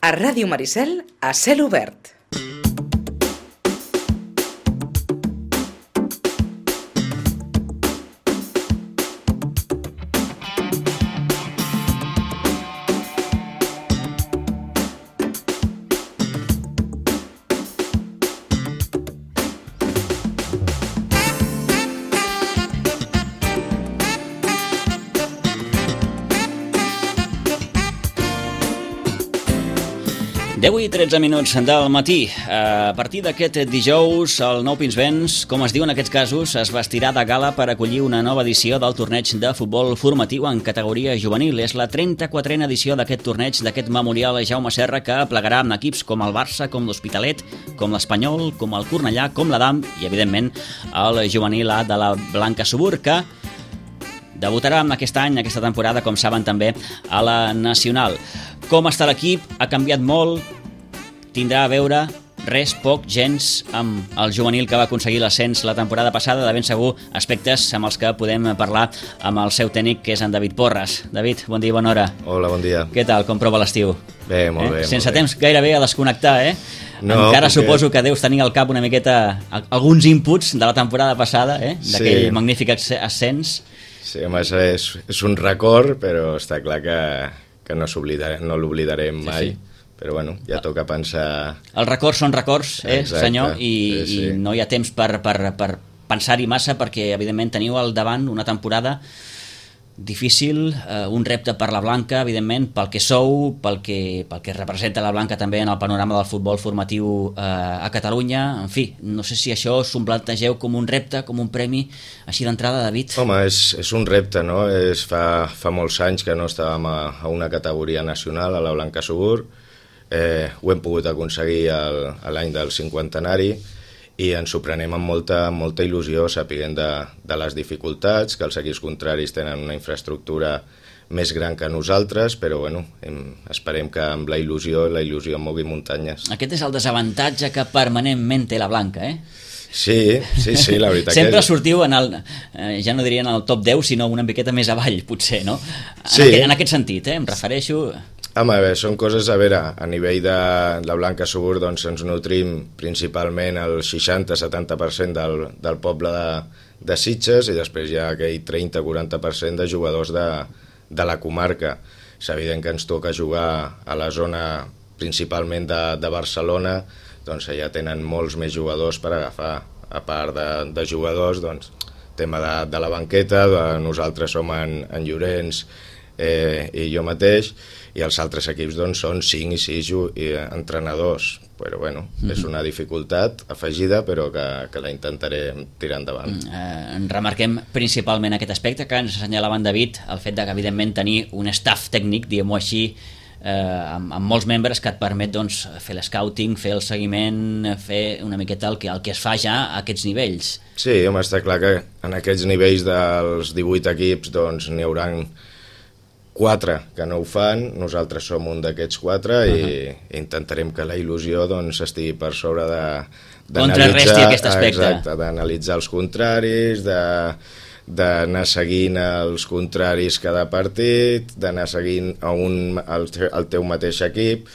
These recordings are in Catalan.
A Ràdio Maricel, a cel obert. Avui 13 minuts del matí. A partir d'aquest dijous, el Nou Pinsbens, com es diu en aquests casos, es vestirà de gala per acollir una nova edició del torneig de futbol formatiu en categoria juvenil. És la 34a edició d'aquest torneig, d'aquest memorial a Jaume Serra, que plegarà amb equips com el Barça, com l'Hospitalet, com l'Espanyol, com el Cornellà, com l'Adam i, evidentment, el juvenil A de la Blanca Subur, que debutarà aquest any, aquesta temporada, com saben també, a la Nacional. Com està l'equip? Ha canviat molt? Tindrà a veure res, poc, gens, amb el juvenil que va aconseguir l'ascens la temporada passada, de ben segur aspectes amb els que podem parlar amb el seu tècnic, que és en David Porres. David, bon dia i bona hora. Hola, bon dia. Què tal, com prova l'estiu? Bé, molt bé. Sense temps gairebé a desconnectar, No, encara suposo que deus tenir al cap una miqueta alguns inputs de la temporada passada, d'aquell magnífic ascens. Sí, home, és un record, però està clar que no l'oblidarem mai. Sí. Però bueno, ja toca pensar... Els records són records, Exacte. Senyor, i Sí. no hi ha temps per pensar-hi massa, perquè evidentment teniu al davant una temporada difícil, un repte per la Blanca, evidentment, pel que sou, pel que representa la Blanca també en el panorama del futbol formatiu a Catalunya. En fi, no sé si això us ho plantegeu com un repte, com un premi, així d'entrada, David. Home, és un repte, no? Fa molts anys que no estàvem a una categoria nacional, a la Blanca Subur. Ho hem pogut aconseguir l'any del 50enari i ens ho prenem amb molta il·lusió, sapiguent de les dificultats, que els equips contraris tenen una infraestructura més gran que nosaltres, però bueno, esperem que amb la il·lusió mogui muntanyes. Aquest és el desavantatge que permanentment té la Blanca, Sí, la veritat sempre que sortiu ja no diria en el top 10, sinó una miqueta més avall, potser, no? Sí. En aquest sentit, em refereixo... Home, bé, són coses, a veure, a nivell de la Blanca Subur, doncs ens nutrim principalment el 60-70% del poble de Sitges i després hi ha aquell 30-40% de jugadors de la comarca. És evident que ens toca jugar a la zona principalment de Barcelona, doncs allà tenen molts més jugadors per agafar. A part de jugadors, doncs, tema de la banqueta, nosaltres som en Llorenç i jo mateix, i els altres equips doncs, són 5 i 6 entrenadors, però bueno, és una dificultat afegida, però que la intentaré tirar endavant. Remarquem principalment aquest aspecte que ens assenyalava en David, el fet de que evidentment tenir un staff tècnic, diguem-ho així, amb molts membres que et permet doncs, fer l'escouting, fer el seguiment, fer una miqueta el que es fa ja a aquests nivells. Sí, home, està clar que en aquests nivells dels 18 equips doncs, n'hi haurà 4 que no ho fan, nosaltres som un d'aquests 4 i intentarem que la il·lusió doncs, estigui per sobre contrarresti aquest aspecte. Exacte, d'analitzar els contraris, d'anar seguint els contraris cada partit, d'anar seguint el teu mateix equip.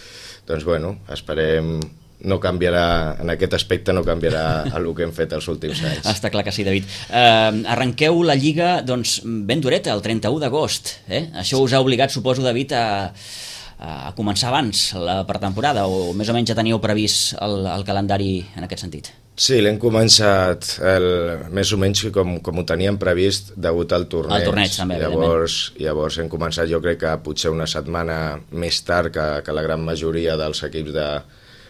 Doncs bueno, esperem... No canviarà, en aquest aspecte no canviarà el que hem fet els últims anys. Està clar que sí, David. Arrenqueu la Lliga doncs, ben dureta, el 31 d'agost. Això us ha obligat, suposo, David, a començar abans la pretemporada, o més o menys ja teníeu previst el calendari en aquest sentit? Sí, l'hem començat més o menys com ho teníem previst degut al torneig. Al torneig, també, Llavors hem començat, jo crec que potser una setmana més tard que la gran majoria dels equips de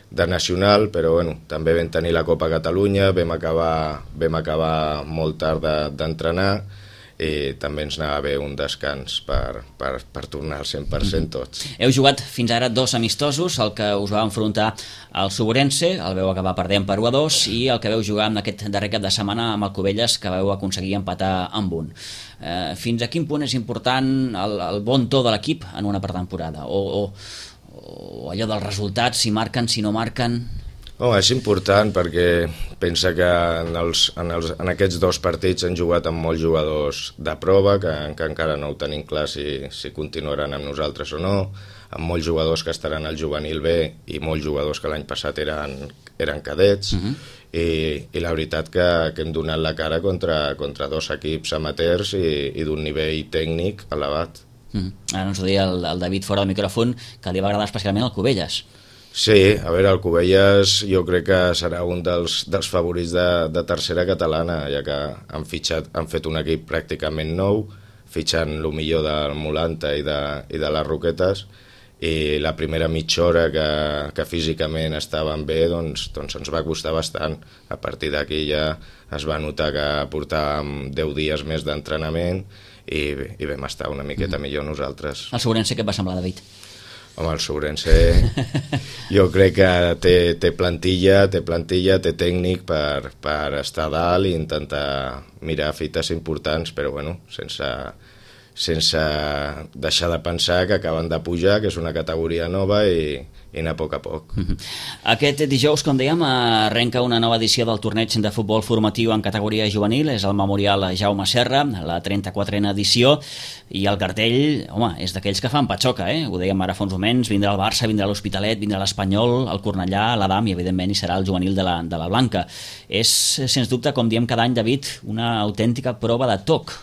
Nacional, però bueno, també vam tenir la Copa Catalunya, vam acabar molt tard d'entrenar i també ens anava bé un descans per tornar al 100% tots. Heu jugat fins ara 2 amistosos, el que us va enfrontar al Suburense, el veu acabar perdent per 1-2, i el que veu jugar en aquest darrer cap de setmana amb el Cubelles, que veu aconseguir empatar amb 1. Fins a quin punt és important el bon to de l'equip en una pretemporada? O allò dels resultats, si marquen, si no marquen... Home, és important perquè pensa que en aquests 2 partits han jugat amb molts jugadors de prova, que encara no ho tenim clar si continuaran amb nosaltres o no. amb molts jugadors que estaran al juvenil B i molts jugadors que l'any passat eren cadets, i la veritat que hem donat la cara contra dos equips amateurs i d'un nivell tècnic elevat. Ara ens ho deia el David fora del micròfon, que li va agradar especialment el Cubelles. Sí, a veure, el Cubelles jo crec que serà un dels favorits de tercera catalana, ja que han fet un equip pràcticament nou, fitxant el millor del Molanta i de les Roquetes, i la primera mitja hora que físicament estaven bé doncs ens va costar bastant. A partir d'aquí ja es va notar que portàvem 10 dies més d'entrenament i vam estar una miqueta millor nosaltres. El Segurense, què et va semblar, David? Home, el Segurense jo crec que té plantilla, té tècnic per estar dalt i intentar mirar fites importants, però bueno, sense deixar de pensar que acaben de pujar, que és una categoria nova i anar a poc a poc. Aquest dijous, com dèiem, arrenca una nova edició del torneig de futbol formatiu en categoria juvenil, és el Memorial Jaume Serra, la 34a edició, i el cartell, home, és d'aquells que fan patxoca, ho dèiem ara fa uns moments, vindrà el Barça, vindrà l'Hospitalet, vindrà l'Espanyol, el Cornellà, l'Adam i evidentment hi serà el juvenil de la Blanca. És, sens dubte, com diem cada any, David, una autèntica prova de toc.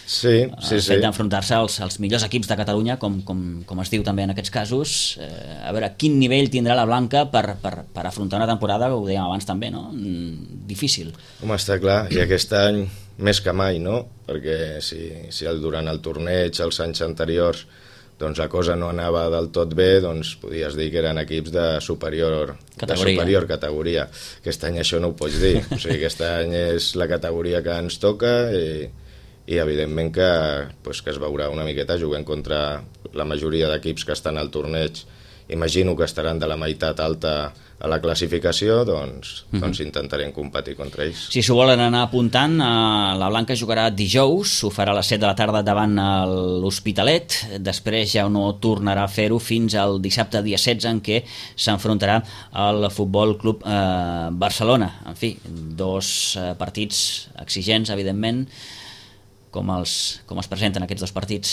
Sí. El fet d'enfrontar-se als millors equips de Catalunya, com es diu també en aquests casos. A veure, quin nivell tindrà la Blanca per afrontar una temporada, ho dèiem abans també, no? Difícil. Home, està clar, i aquest any més que mai, no? Perquè si durant el torneig, els anys anteriors, doncs la cosa no anava del tot bé, doncs podies dir que eren equips de superior categoria. Aquest any això no ho pots dir. O sigui, aquest any és la categoria que ens toca i evidentment que es veurà una miqueta jugant contra la majoria d'equips que estan al torneig. Imagino que estaran de la meitat alta a la classificació, doncs intentarem competir contra ells. Si s'ho volen anar apuntant, la Blanca jugarà dijous, ho farà a les 7 de la tarda davant l'Hospitalet, després ja no tornarà a fer-ho fins al dissabte dia 16, en què s'enfrontarà al Futbol Club Barcelona. En fi, dos partits exigents, evidentment. Com es presenten aquests dos partits?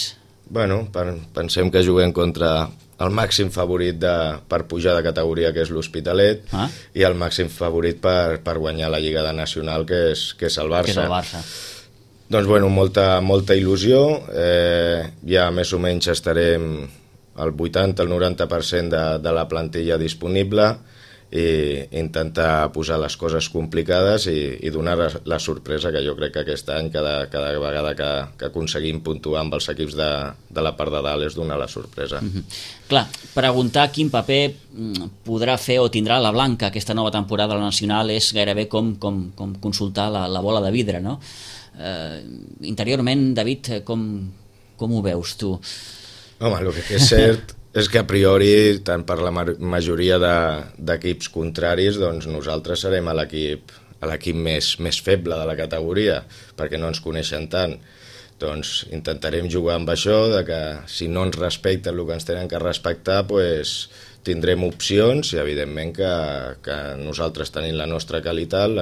Bueno, pensem que juguem contra el màxim favorit per pujar de categoria, que és l'Hospitalet, i el màxim favorit per guanyar la Lliga de Nacional, que és el Barça. Doncs bueno, molta il·lusió, ja més o menys estarem al 80, al 90% de la plantilla disponible, i intentar posar les coses complicades i donar la sorpresa, que jo crec que aquest any cada vegada que aconseguim puntuar amb els equips de la part de dalt és donar la sorpresa. Clar, preguntar quin paper podrà fer o tindrà la Blanca aquesta nova temporada a la Nacional és gairebé com consultar la bola de vidre, no? Interiorment, David, com ho veus tu? Home, el que és cert és que a priori, tant per la majoria d'equips contraris, doncs nosaltres serem l'equip més feble de la categoria, perquè no ens coneixen tant. Doncs intentarem jugar amb això, de que si no ens respecten el que ens tenen que respectar, doncs tindrem opcions, i evidentment que nosaltres tenim la nostra qualitat,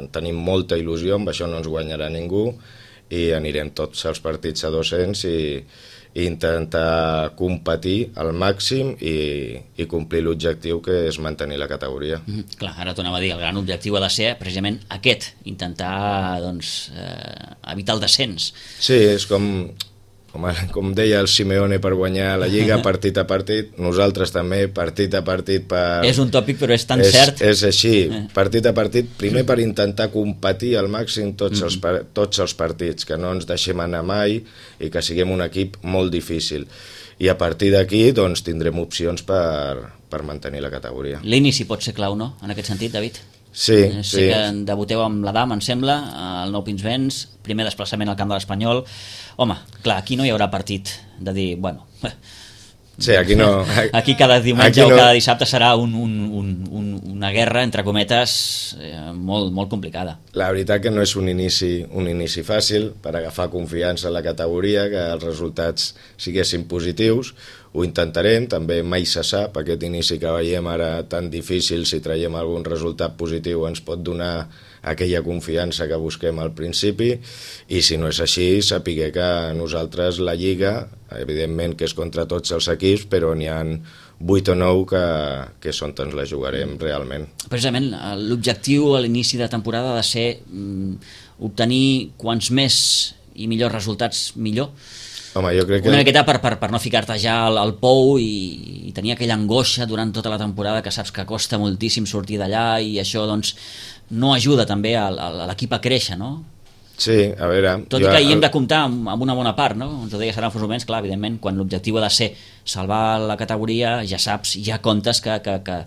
tenim molta il·lusió, amb això no ens guanyarà ningú, i anirem tots els partits a 200 i intentar competir al màxim i complir l'objectiu, que és mantenir la categoria. Clar, ara t'ho anava a dir, el gran objectiu ha de ser precisament aquest, intentar evitar el descens. Sí, és com deia el Simeone, per guanyar la Lliga partit a partit, nosaltres també partit a partit És un tòpic, però és tan cert. És així, partit a partit, primer per intentar competir al màxim tots els partits, que no ens deixem anar mai i que siguem un equip molt difícil. I a partir d'aquí doncs tindrem opcions per mantenir la categoria. L'inici pot ser clau, no?, en aquest sentit, David? Sí. Sé que debuteu amb l'Adam, em sembla, al Nou Pinsbens, primer desplaçament al camp de l'Espanyol. Home, clar, aquí no hi haurà partit de dir, bueno... Sí, aquí no... Aquí cada diumenge o cada dissabte serà una guerra, entre cometes, molt complicada. La veritat que no és un inici fàcil per agafar confiança en la categoria, que els resultats siguessin positius. Ho intentarem, també mai se sap, aquest inici que veiem ara tan difícil, si traiem algun resultat positiu ens pot donar aquella confiança que busquem al principi, i si no és així, sapiguer que nosaltres la Lliga, evidentment que és contra tots els equips, però n'hi ha 8 o 9 que són on la jugarem realment. Precisament, l'objectiu a l'inici de temporada ha de ser obtenir quants més i millors resultats millor. Home, jo crec que... Una miqueta per no ficar-te ja al pou i tenir aquella angoixa durant tota la temporada que saps que costa moltíssim sortir d'allà, i això doncs no ajuda també a l'equip a créixer, no? Sí, a veure... Tot i que hi hem de comptar amb una bona part, no? Ens ho deia Sara Fosomens, clar, evidentment, quan l'objectiu ha de ser salvar la categoria, ja saps, ja comptes que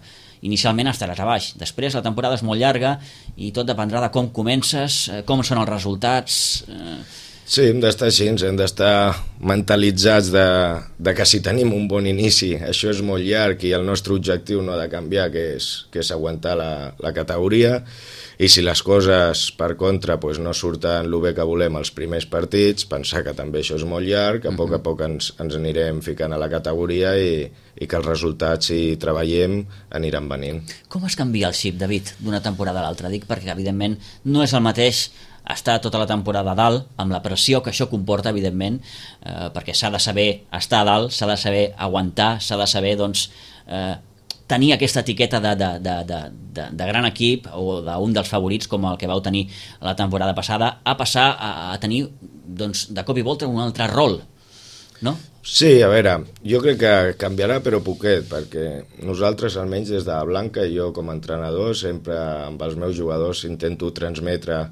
inicialment estaràs a baix. Després la temporada és molt llarga i tot dependrà de com comences, com són els resultats... Sí, hem d'estar així, hem d'estar mentalitzats de que si tenim un bon inici, això és molt llarg i el nostre objectiu no ha de canviar, que és aguantar la categoria, i si les coses, per contra, no surten el bé que volem els primers partits, pensar que també això és molt llarg, a poc ens anirem ficant a la categoria i que els resultats, si treballem, aniran venint. Com es canvia el xip, David, d'una temporada a l'altra? Dic perquè, evidentment, no és el mateix estar tota la temporada a dalt, amb la pressió que això comporta, evidentment, perquè s'ha de saber estar a dalt, s'ha de saber aguantar, s'ha de saber tenir aquesta etiqueta de gran equip o d'un dels favorits, com el que vau tenir la temporada passada, a passar a tenir de cop i volta un altre rol, no? Sí, a veure, jo crec que canviarà, però poquet, perquè nosaltres, almenys des de Blanca, i jo com a entrenador, sempre amb els meus jugadors intento transmetre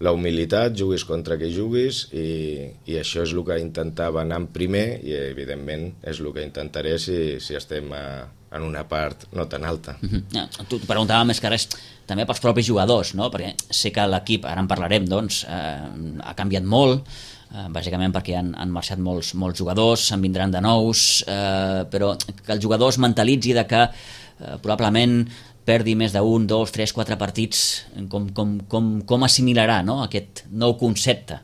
la humilitat, juguis contra qui juguis, i això és el que intentava anar en primer, i evidentment és el que intentaré si estem en una part no tan alta. Tu preguntava més que res també pels propis jugadors, no? Perquè sé que l'equip, ara en parlarem, ha canviat molt, bàsicament perquè han marxat molts jugadors, se'n vindran de nous, però que el jugador es mentalitzi de que probablement perdi més d'1, 2, 3, 4 partits, com assimilarà, no?, aquest nou concepte?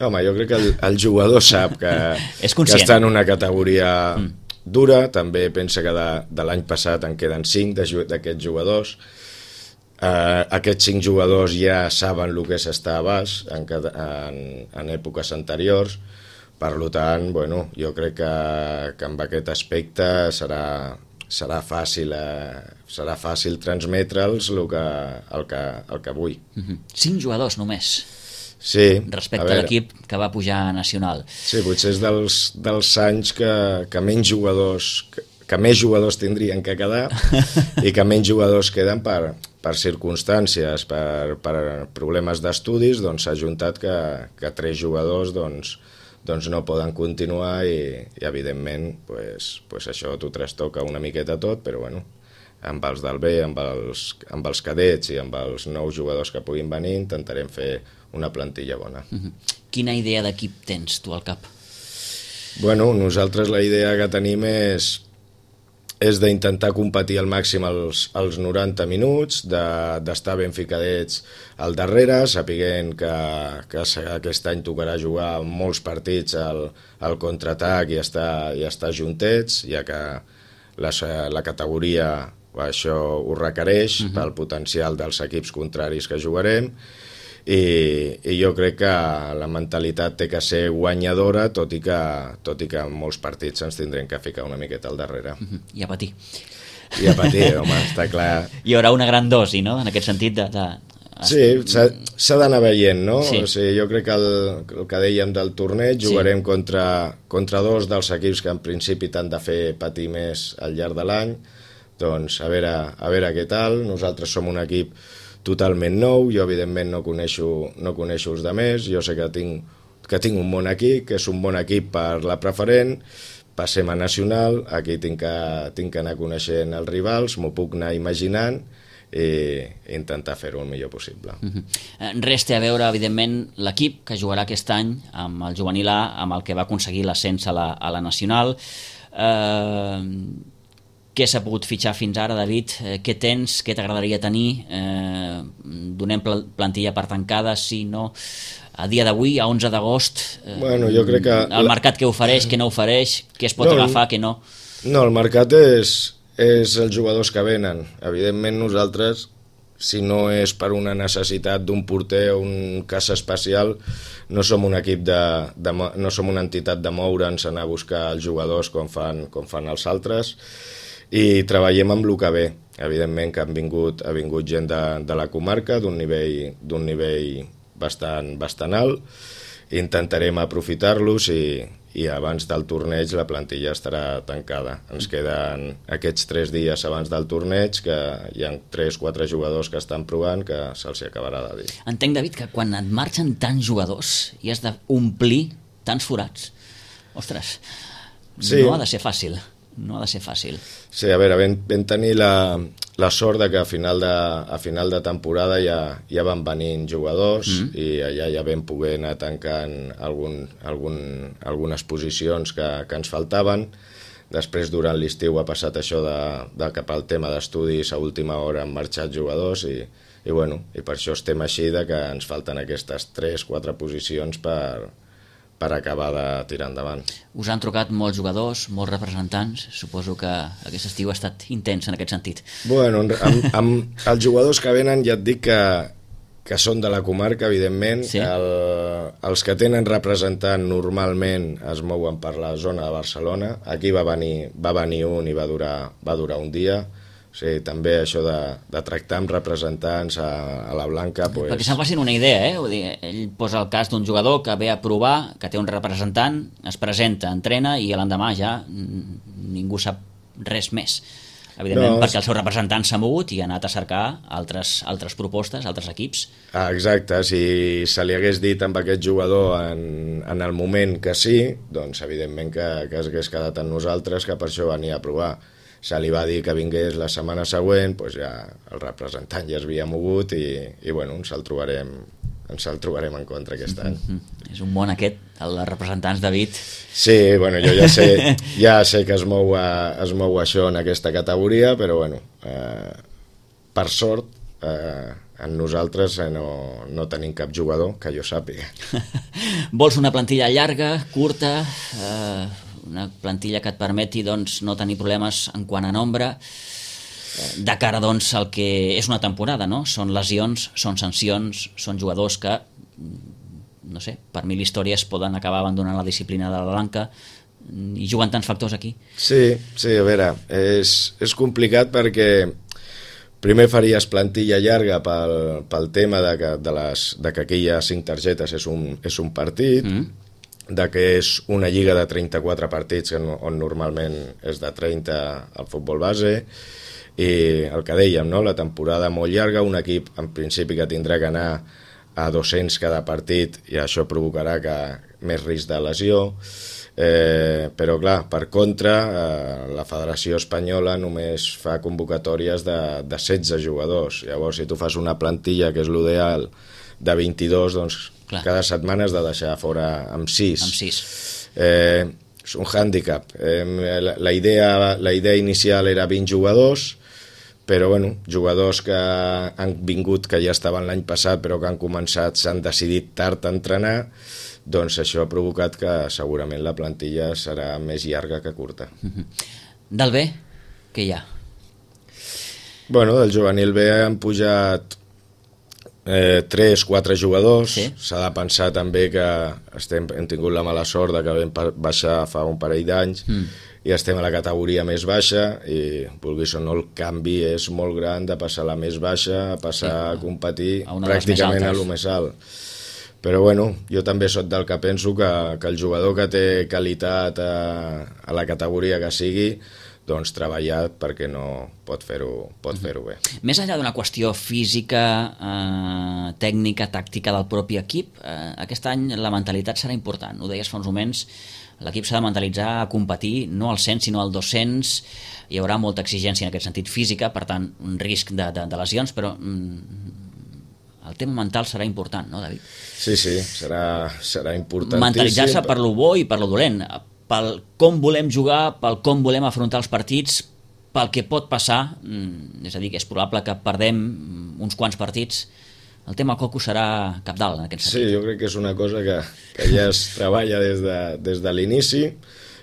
Home, jo crec que el jugador sap que està en una categoria dura, també pensa que de l'any passat en queden 5 d'aquests jugadors. Aquests 5 jugadors ja saben el que és estar a baix en èpoques anteriors, per tant, jo crec que amb aquest aspecte serà fàcil transmetre'ls el que vull. 5 jugadors només, sí, respecte a l'equip que va pujar a Nacional. Sí, potser és dels anys que menys jugadors tindrien que quedar i que menys jugadors queden per circumstàncies, per problemes d'estudis, s'ha ajuntat que 3 jugadors no poden continuar i evidentment això t'ho trastoca una miqueta tot, però amb els del B, amb els cadets i amb els nous jugadors que puguin venir intentarem fer una plantilla bona. Quina idea d'equip tens tu al cap? Nosaltres la idea que tenim és d'intentar competir al màxim els 90 minuts, d'estar ben ficadets al darrere, sapiguent que aquest any tocarà jugar molts partits al contraatac i estar juntets, ja que la categoria això ho requereix pel potencial dels equips contraris que jugarem, i jo crec que la mentalitat té que ser guanyadora, tot i que en molts partits ens tindrem que ficar una miqueta al darrere. I a patir. I a patir, home, està clar. Hi haurà una gran dosi, no?, en aquest sentit Sí, s'ha d'anar veient, no? Sí. O sigui, jo crec que el que dèiem del torneig, jugarem contra 2 dels equips que en principi t'han de fer patir més al llarg de l'any, doncs a veure què tal. Nosaltres som un equip totalment nou, jo evidentment no coneixo els altres, jo sé que tinc un bon equip, que és un bon equip per la preferent, passem a Nacional, aquí tinc que anar coneixent els rivals, m'ho puc anar imaginant i intentar fer-ho el millor possible. Res té a veure, evidentment, l'equip que jugarà aquest any amb el juvenil A, amb el que va aconseguir l'ascens a la Nacional. Què s'ha pogut fitxar fins ara, David? Què tens? Què t'agradaria tenir? Donem plantilla per tancada, sí, no? A dia d'avui, a 11 d'agost, jo crec que el mercat què ofereix, què no ofereix, què es pot agafar, què no? No, el mercat és els jugadors que venen. Evidentment nosaltres si no és per una necessitat d'un porter o un cas especial, no som un equip no som una entitat de moure'ns, anar a buscar els jugadors com fan els altres, i treballem amb el que ve. Evidentment que ha vingut gent de la comarca d'un nivell bastant alt. Intentarem aprofitar-los i abans del torneig la plantilla estarà tancada. Ens queden aquests 3 dies abans del torneig, que hi ha 3-4 jugadors que estan provant, que se'ls acabarà de dir. Entenc, David, que quan et marxen tants jugadors i has d'omplir tants forats, ostres, sí. No ha de ser fàcil. No ha de ser fàcil. Sí, a veure, vam tenir la sort de que a final de temporada ja van venint jugadors i allà ja vam poder anar tancant algunes posicions que ens faltaven. Després, durant l'estiu, ha passat això de cap al tema d'estudis, a última hora han marxat jugadors i per això estem així, de que ens falten aquestes 3-4 posicions per acabar de tirar endavant. Us han trucat molts jugadors, molts representants. Suposo que aquest estiu ha estat intens en aquest sentit. Bueno, amb els jugadors que venen ja et dic que són de la comarca, evidentment. Sí. Els que tenen representant normalment es mouen per la zona de Barcelona. Aquí va venir un i va durar un dia. O sigui, també això de tractar amb representants a la Blanca... Perquè se'n facin una idea, Vull dir, ell posa el cas d'un jugador que ve a provar, que té un representant, es presenta, entrena i l'endemà ja ningú sap res més. Evidentment, perquè el seu representant s'ha mogut i ha anat a cercar altres propostes, altres equips. Exacte, si se li hagués dit amb aquest jugador en el moment que sí, doncs evidentment que s'hagués quedat amb nosaltres, que per això venia a provar. Se li va dir que vingués la setmana següent, doncs ja el representant ja es havia mogut i ens el trobarem en contra aquest any. És un món aquest, el de representants, David. Sí, jo ja sé que es mou això en aquesta categoria, però per sort en nosaltres no tenim cap jugador que jo sàpiga. Vols una plantilla llarga, curta, una plantilla que et permeti no tenir problemes en quant a nombre, de cara al que és una temporada, no? Són lesions, són sancions, són jugadors que, no sé, per 1000 històries poden acabar abandonant la disciplina de la Blanca, i juguen tants factors aquí. Sí, a veure, és complicat perquè primer faries plantilla llarga pel tema de que aquí hi ha 5 targetes, és un partit, de que és una lliga de 34 partits on normalment és de 30 al futbol base, i el que dèiem, no? La temporada molt llarga, un equip en principi que tindrà que anar a 200 cada partit i això provocarà més risc de lesió, però clar, per contra la Federació Espanyola només fa convocatòries de 16 jugadors. Llavors, si tu fas una plantilla, que és l'ideal, de 22, doncs clar, cada setmana has de deixar fora amb 6. És un hàndicap. La idea inicial era 20 jugadors, però jugadors que han vingut, que ja estaven l'any passat, però que s'han decidit tard a entrenar, doncs això ha provocat que segurament la plantilla serà més llarga que curta. Del B, què hi ha? Del juvenil B han pujat 3-4 jugadors. Sí. S'ha de pensar també que hem tingut la mala sort de que vam baixar fa un parell d'anys i estem a la categoria més baixa i, vulguis o no, el canvi és molt gran de passar a la més baixa a passar a competir pràcticament a lo més alt. Però jo també soc del que penso que el jugador que té qualitat a la categoria que sigui, doncs treballar perquè no pot fer-ho bé. Més enllà d'una qüestió física, tècnica, tàctica del propi equip, aquest any la mentalitat serà important. Ho deies fa uns moments, l'equip s'ha de mentalitzar a competir no al 100 sinó al 200, hi haurà molta exigència en aquest sentit física, per tant un risc de lesions, però el tema mental serà important, no, David? Sí, serà importantíssim. Mentalitzar-se per lo bo i per lo dolent, pel com volem jugar, pel com volem afrontar els partits, pel que pot passar, és a dir, que és probable que perdem uns quants partits. El tema coco serà cabdal en aquest sentit. Sí, jo crec que és una cosa que ja es treballa des de l'inici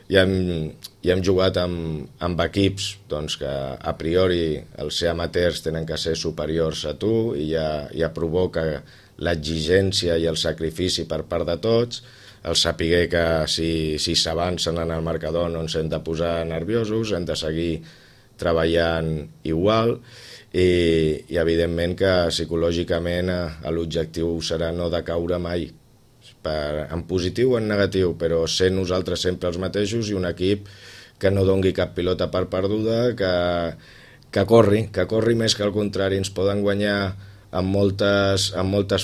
i hem jugat amb equips doncs, que a priori els ser amateurs tenen que ser superiors a tu i ja provoca l'exigència i el sacrifici per part de tots, el saber que si s'avancen en el marcador no ens hem de posar nerviosos, hem de seguir treballant igual i evidentment que psicològicament l'objectiu serà no decaure mai, en positiu o en negatiu, però ser nosaltres sempre els mateixos i un equip que no dongui cap pilota per perduda, que corri més que al contrari. Ens poden guanyar en moltes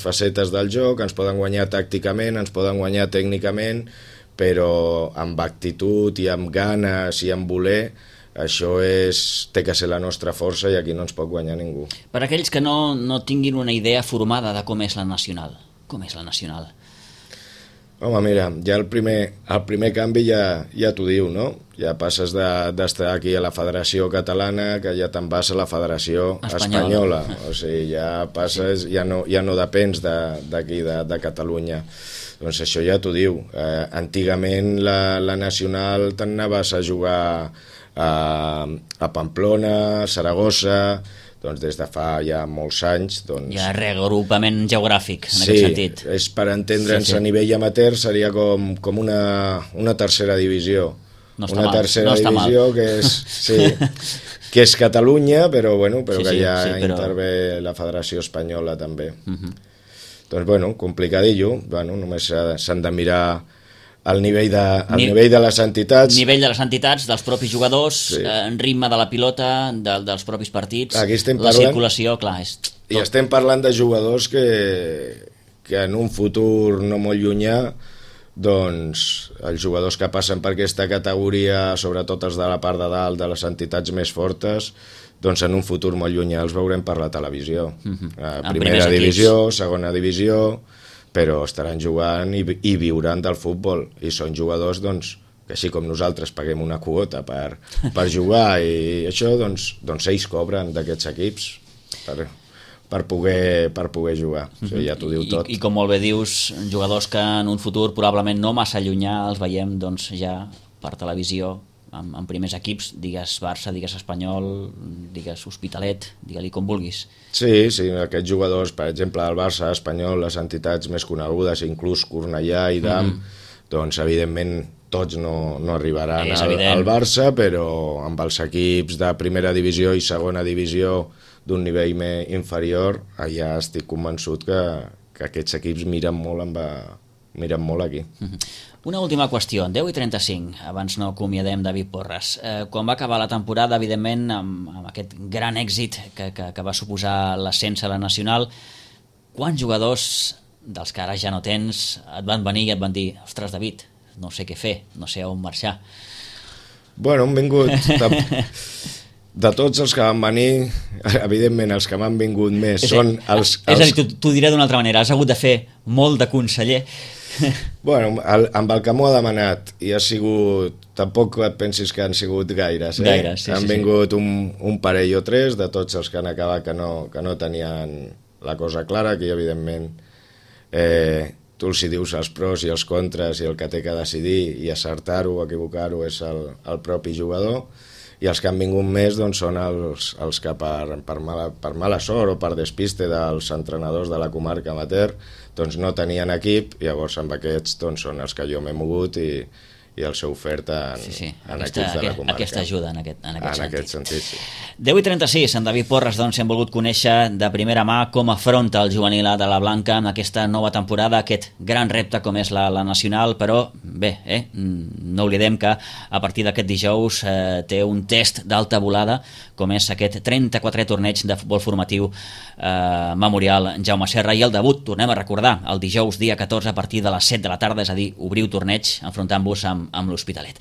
facetes del joc, ens poden guanyar tàcticament, ens poden guanyar tècnicament, però amb actitud i amb ganes i amb voler, això té que ser la nostra força i aquí no ens pot guanyar ningú. Per aquells que no tinguin una idea formada de com és la nacional, Home, mira, ja el primer canvi ja t'ho diu, no? Ja passes d'estar aquí a la Federació Catalana que ja te'n vas a la Federació Espanyola. O sigui, ja passes, ja no depens d'aquí, de Catalunya. Doncs això ja t'ho diu. Antigament la Nacional te'n anaves a jugar a Pamplona, a Saragossa, doncs des de fa ja molts anys... Hi ha reagrupament geogràfic, en aquest sentit. Sí, és per entendre'ns a nivell amateur, seria com una tercera divisió. No està mal. Tercera divisió que és Catalunya, però que ja intervé la Federació Espanyola també. Doncs, complicadillo, només s'han de mirar al nivell de les entitats. Nivell de les entitats, dels propis jugadors, ritme de la pilota, dels propis partits, la circulació, clar. I estem parlant de jugadors que en un futur no molt llunyà, doncs els jugadors que passen per aquesta categoria, sobretot els de la part de dalt, de les entitats més fortes, doncs en un futur molt llunyà els veurem per la televisió. Primera divisió, segona divisió, però estaran jugant i viuran del futbol, i són jugadors doncs, que així com nosaltres paguem una quota per jugar i això, doncs ells cobren d'aquests equips per poder jugar. O sigui, ja t'ho diu tot. I com molt bé dius, jugadors que en un futur probablement no massa llunyà els veiem doncs, ja per televisió en primers equips, digues Barça, digues Espanyol, digues Hospitalet, digue-li com vulguis. Sí, aquests jugadors, per exemple, el Barça, Espanyol, les entitats més conegudes, inclús Cornellà i Dam, doncs evidentment tots no arribaran al Barça, però amb els equips de primera divisió i segona divisió d'un nivell més inferior, ja estic convençut que aquests equips miren molt aquí. Una última qüestió, 10:35, abans no acomiadem David Porras. Quan va acabar la temporada, evidentment, amb aquest gran èxit que va suposar l'ascens a la Nacional, quants jugadors dels que ara ja no tens et van venir i et van dir: ostres, David, no sé què fer, no sé on marxar? Bueno, han vingut... De tots els que van venir, evidentment els que m'han vingut més són els... És a dir, t'ho diré d'una altra manera, has hagut de fer molt de conseller. Bueno, amb el que m'ho ha demanat i ha sigut, tampoc et pensis que han sigut gaires, han vingut un parell o tres de tots els que han acabat que no tenien la cosa clara, que evidentment tu els hi dius els pros i els contres i el que té que decidir i acertar-ho o equivocar-ho és el propi jugador, i els que han vingut més doncs, són els que per mala sort o per despiste dels entrenadors de la comarca amateur doncs no tenien equip, llavors amb aquests doncs, són els que jo m'he mogut i els he ofert en equips de la comarca. Aquesta ajuda en aquest sentit. Sí. 10:36, en David Porras doncs, hem volgut conèixer de primera mà com afronta el juvenil de la Blanca en aquesta nova temporada, aquest gran repte com és la Nacional, però bé, no oblidem que a partir d'aquest dijous té un test d'alta volada com és aquest 34è torneig de futbol formatiu Memorial Jaume Serra, i el debut, tornem a recordar, el dijous dia 14 a partir de les 7 de la tarda, és a dir, obriu torneig enfrontant-vos amb l'Hospitalet.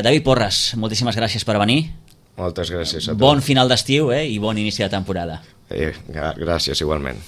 David Porras, moltíssimes gràcies per venir. Moltes gràcies a tu. Bon final d'estiu i bon inici de temporada. Gràcies, igualment.